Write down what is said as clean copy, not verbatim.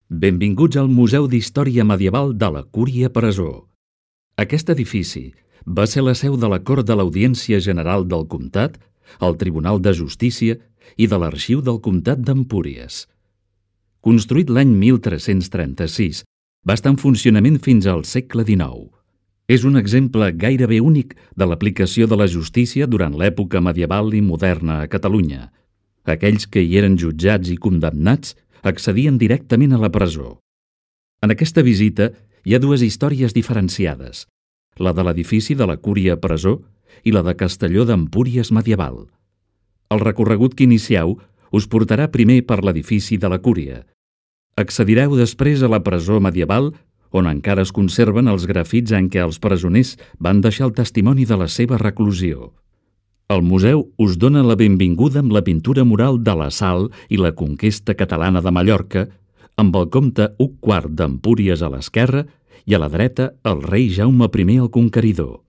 Benvinguts al Museu d'Història Medieval de la Cúria Presó. Aquest edifici va ser la seu de la Cort de l'Audiència General del Comtat, el Tribunal de Justícia i de l'Arxiu del Comtat d'Empúries. Construït l'any 1336, va estar en funcionament fins al segle XIX. És un exemple gairebé únic de l'aplicació de la justícia durant l'època medieval i moderna a Catalunya. Aquells que hi eren jutjats i condemnats accedien directament a la presó. En aquesta visita hi ha dues històries diferenciades, la de l'edifici de la Cúria Presó i la de Castelló d'Empúries medieval. El recorregut que inicieu us portarà primer per l'edifici de la Cúria. Accedireu després a la presó medieval, on encara es conserven els grafits en què els presoners van deixar el testimoni de la seva reclusió. El museu us dona la benvinguda amb la pintura mural de l'assalt i la conquesta catalana de Mallorca, amb el comte Hug IV d'Empúries a l'esquerra i a la dreta el rei Jaume I el Conqueridor.